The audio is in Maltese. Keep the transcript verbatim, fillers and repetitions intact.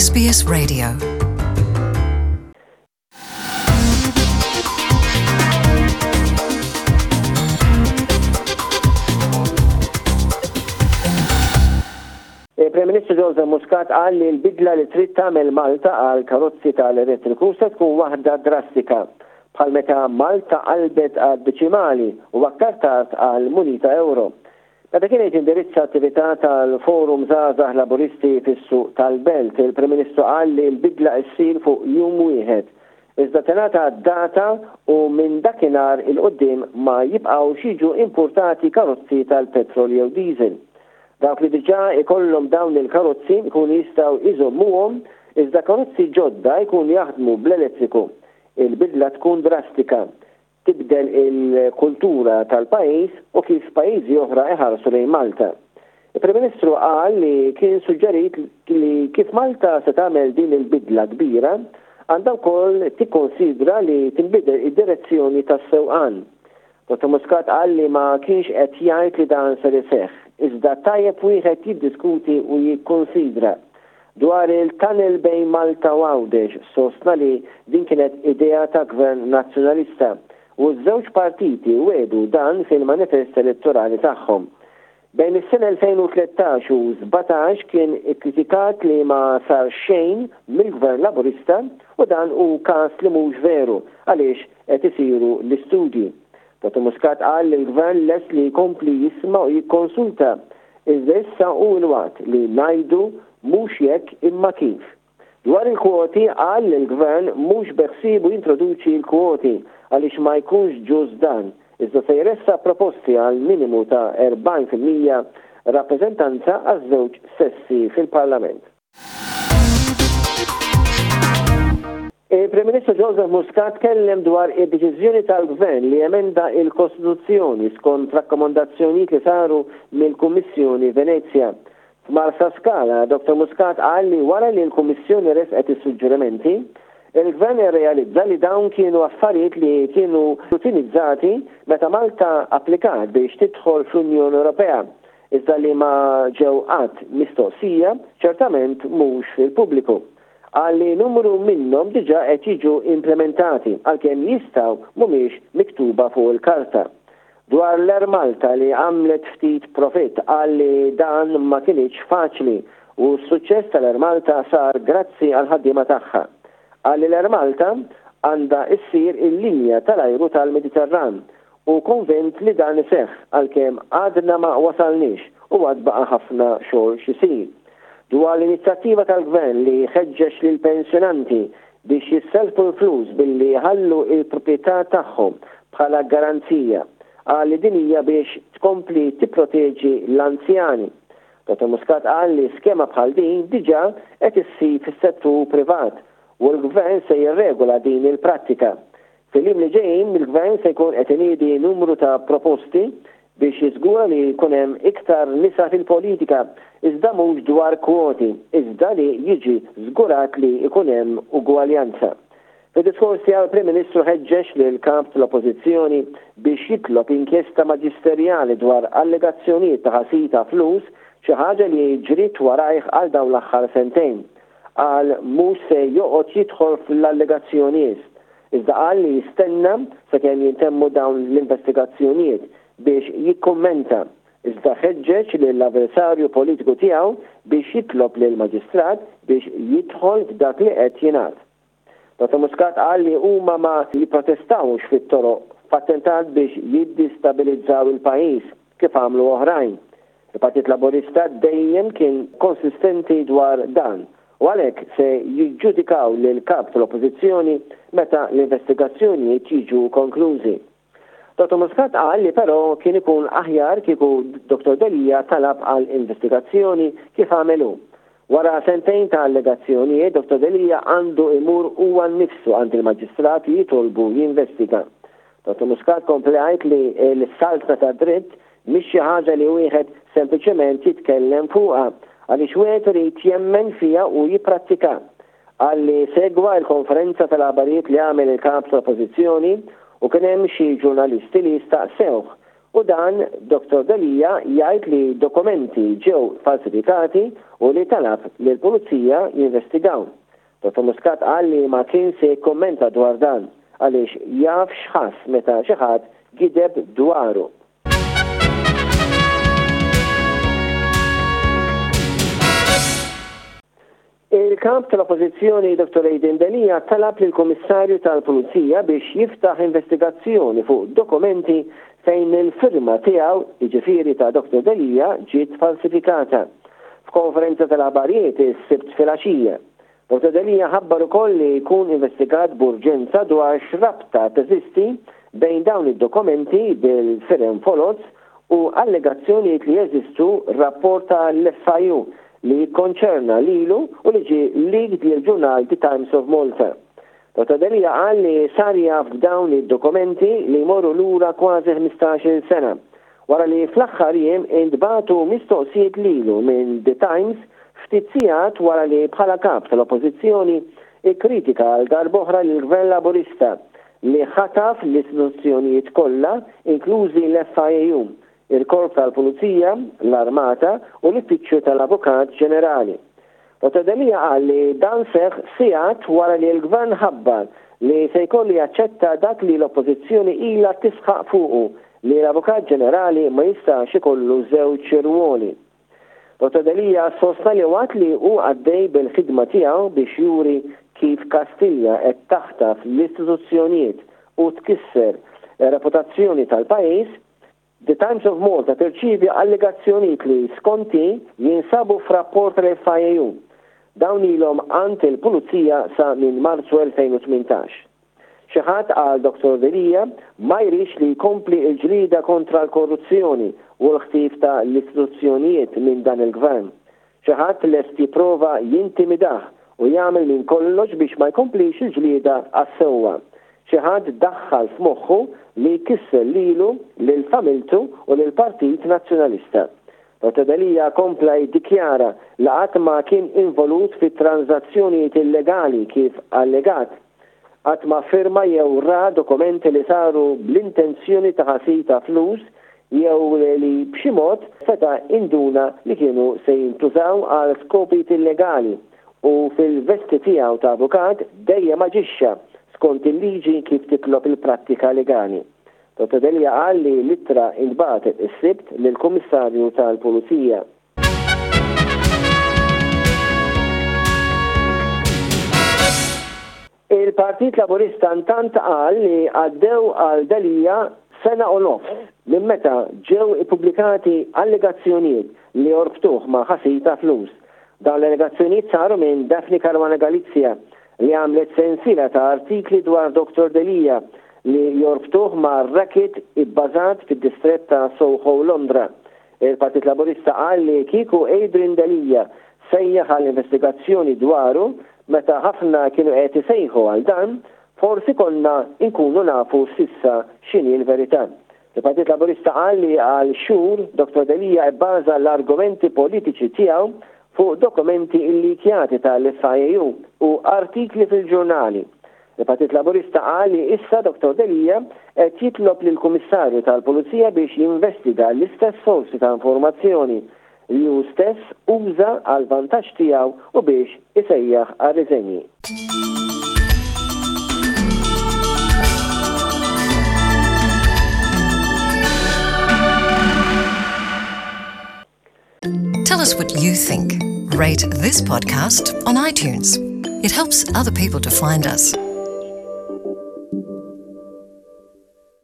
S B S Radio. Il-Prim Ministru Joseph Muscat qal li l-bidla li trid tagħmel Malta għal karozzi tal-elettriku se tkun waħda drastika, bħal meta Malta qalbet għal deċimali u aktar tard għal munita euro. Meta kien qed indirizza attività tal-Forum Żgħażagħ Laburisti fis-suq tal-Belt, il-Prim Ministru qal li l-bidla ssir fuq jum wieħed. Iżda tingħata data u minn dakinhar 'il quddiem ma jibqgħux jiġu importati karozzi tal-petrol jew diesel. Dawk li diġà ikollhom dawn il-karozzi jkunu jistgħu iżommuhom, iżda karozzi ġodda jkunu jaħdmu bl-elettriku. Il-bidla tkun drastika, tibdel il-kultura tal-pajjiż u kif pajjiżi oħra iħarsu lejn Malta. Il-Prim Ministru qal li kien suġġerit li kif Malta se tagħmel din il-bidla kbira, għandha wkoll tikkonsidra li tinbidel id-direzzjoni tas-sewqan. Dottor Muscat qal li ma kienx qed jgħid li dan ser iseħħ, iżda tajjeb wieħed jiddiskuti u jikkonsidra. Dwar il-tunnel bejn Malta u Għawdex, sostna li din kienet idea ta' gvern nazzjonalista u ż-żewġ partiti wedu dan fil-manifest elettorali tagħhom. Bejn is-sena elfejn u tlettax u sbatax kien ikkritikat li ma sar xejn mill-gvern Laburista u dan hu każ li mhux veru għaliex qed isiru l-istudji. Dottor Muscat qal li l-gvern lest li jkompli jisma' u jikkonsulta, iżda issa hu l-waqt li ngħidu mhux jekk imma kif. Dwar il-kwoti, qal li l-gvern mhux beħsiebu jintroduċi l-kwoti għaliex ma jkunx ġust dan, iżda se jressaq proposti għal minimu ta' erbgħin fil-mija rappreżentanza għaż-żewġ sessi fil-Parlament. Il-Prim Ministru Joseph Muscat kellem dwar id-deċiżjoni tal-Gvern li emenda il-Kostituzzjoni skont rakkomandazzjonijiet li saru mill-Kummissjoni Venezja. F'Marsaskala, Dottor Muscat qal li wara li l-Kummissjoni resqet is-suġġerimenti, il-Gvern irrealizza li dawn kienu affarijiet li kienu rutinizzati meta Malta applikat biex tidħol fl-Unjoni Ewropea, iżda li ma ġew qatt mistoqsija, ċertament mhux fil-pubbliku. Qal li numru minnhom diġà qed jiġu implementati għalkemm jistgħu mhumiex miktuba fuq il-karta. Dwar l-Air Malta li għamlet ftit profit, qal li dan ma kienx faċli u s-suċċess tal-Air Malta sar grazzi għal ħaddiema tagħha. Qal li l-Air Malta għandha issir il-linja tal-ajru tal-Mediterran u konvint li dan iseħħ għalkemm għadna ma wasalniex u għad baqa' ħafna xogħol x'isir. Dwar l-inizjattiva tal-gvern li ħeġġeġ lil pensjonanti biex jisselfu l-flus billi jħallu il-proprjetà tagħhom bħala garanzija, qal li din hija biex tkompli tipproteġi l-anzjani. Dottor Muscat qal li skema bħal din diġà qed issir fis-settur privat u l-gvern se jirregola din il-prattika. Fil-jiem li ġejjin, il-gvern se jkun qed iniedi numru ta' proposti biex jiżgura li jkun hemm iktar nisa fil-politika, iżda mhux dwar kwoti, iżda li jiġi żgurat li jkun hemm ugwaljanza. Fid-diskors tiegħu, il-Prim Ministru ħeġġeġ lil kap tal-Oppożizzjoni biex jitlob inkjesta maġisterjali dwar allegazzjonijiet ta' ħasil ta' flus, xi ħaġa li ġriet warajh għal dawn l-aħħar sentejn. Qal mhux se joqgħod jidħol fl-allegazzjonijiet, iżda qal li jistenna sakemm jintemmu dawn l-investigazzjonijiet biex jikkummenta, iżda ħeġġeġ lill-avversarju politiku tiegħu biex jitlob lil maġistrat biex jidħol f'dak li qed jingħad. Dottor Muscat qal li huma ma jipprotestawx fit-toroq f'attentat biex jiddistabilizzaw il-pajjiż kif għamlu oħrajn. Il-Partit Laburista dejjem kien konsistenti dwar dan u għalhekk se jiġġudikaw lil kap tal-Oppożizzjoni meta l-investigazzjonijiet jiġu konklużi. Dottor Muscat qal li però kien ikun aħjar kieku Dottor Delia talab għal investigazzjoni kif għamelu. Wara sentejn ta' allegazzjonijiet, Dottor Delia għandu imur huwa nnifsu għand il-maġistrat jitolbu jinvestiga. Dottor Muscat kompla jgħid li l-saltna ta' dritt mhix xi ħaġa li wieħed sempliċement jitkellem fuqha, għaliex wieħed irid jemmen fiha u jipprattika. Qal li segwa l-konferenza tal-aħbarijiet li għamel il-kap tal-Oppożizzjoni u kien hemm xi ġurnalisti li staqsewh U dan Dottor Delia jgħid li dokumenti ġew falsifikati u li talab li l-pulizija jinvestigaw. Dottor Muscat qal li ma kien se jikkommenta dwar dan għaliex jaf x'ħass meta xi ħadd gideb dwaru. Il-kap tal-Oppożizzjoni Dottor Adrian Delia talab lill-Kummissarju tal-Pulizija biex jiftaħ investigazzjoni fuq dokumenti fejn il-firma tiegħu, jiġifieri ta' Dottor Delia, ġiet falsifikata. F'konferenza tal-aħbarijiet is-Sibt filgħaxija, Dottor Delia ħabbar ukoll li jkun investigat b'urġenza dwar x'rabta teżisti bejn dawn id-dokumenti bil-firem foloz u allegazzjonijiet li jeżistu rapport tal-F I U li jikkonċerna lilu u li ġie leaked lil ġurnal The Times of Malta. Dottor Delia qal li sar jaf b'dawn id-dokumenti li jmorru lura kważi ħmistax-il sena, wara li fl-aħħar jiem intbagħtu mistoqsijiet lilu minn The Times ftit sigħat wara li bħala kap tal-Oppożizzjoni ikkritika għal darb'oħra lill-Gvern Laburista li ħataf l-istituzzjonijiet kollha, inklużi l-F I A U, il-Korp tal-Pulizija, l-Armata u l-Uffiċċju tal-Avukat Ġenerali. Dottor Delia qal li dan seħħ sigħat wara li l-Gvern ħabbar li se jkollu jaċċetta dak li l-Oppożizzjoni ilha tisħaq fuqu li l-Avukat Ġenerali ma jistax ikollu żewġ rwoli. Dottor Delia sostna li waqt li hu għaddej bil-ħidma tiegħu biex juri kif Kastilja qed taħtaf l-istituzzjonijiet u tkisser reputazzjoni tal-pajjiż, The Times of Malta tirċievi allegazzjonijiet li skonti jinsabu f'rapport tal-F I A U. Dawn ilhom għand il-Pulizija sa minn Marzu elfejn u tmintax. Xi ħadd qal Dottor Delia ma jridx li jkompli l-ġlieda kontra l-korruzzjoni u l-ħtif ta' l-istituzzjonijiet minn dan il-gvern. Xi ħadd lest jipprova jintimidah u jagħmel minn kollox biex ma jkomplix il-ġlieda għas-sewwa. Xi ħadd daħħal f'moħħu li jkisser lilu, lil familtu u lil Partit Nazzjonalista. Dottor Delia kompla jiddikjara li qatt ma kien involut fi transazzjonijiet illegali kif allegat. Qatt ma firma jew ra dokumenti li saru bl-intenzjoni ta' ħasil ta' flus jew li b'xi mod seta' induna li kienu se jintużaw għal skopijiet illegali u fil-vesti tiegħu ta' avukat dejjem aġixxa skont il-liġi kif titlob il-prattika legali. Dottor Delia qal li l-ittra intbagħtet is-Sibt lill-Kummissarju tal-Pulizija. Il-Partit Laburista intant qal li għaddew għal Delia sena u nofs minn meta ġew ippubblikati allegazzjonijiet li jorbtuh ma' ħasil ta' flus. Dawn l-allegazzjonijiet saru minn Daphne Caruana Galizia li għamlet sensiela ta' artikli dwar Dottor Delia li jorbtuh ma' racket ibbażat fid-distrett ta' Soho, Londra. Il-Partit Laburista qal li kieku Adrian Delia sejjaħ għal investigazzjoni dwaru meta ħafna kienu qed isejħu għal dan, forsi konna nkunu nafu sissa x'inhi l-verità. Il-Partit Laburista qal li għal xhur Dottor Delia bbaża l-argumenti politiċi tiegħu fuq dokumenti illikjati tal-F I A U u artikli fil-ġurnali. Il-Partit Laburista qal li issa Dottor Delia qed jitlob lill-Kummissarju tal-Pulizija biex jinvestiga l-istess sorsi ta' informazzjoni li hu stess uża għal vantaġġ tiegħu u biex isejjaħ għar-riżenji. Tell us what you think. Rate this podcast on iTunes. It helps other people to find us.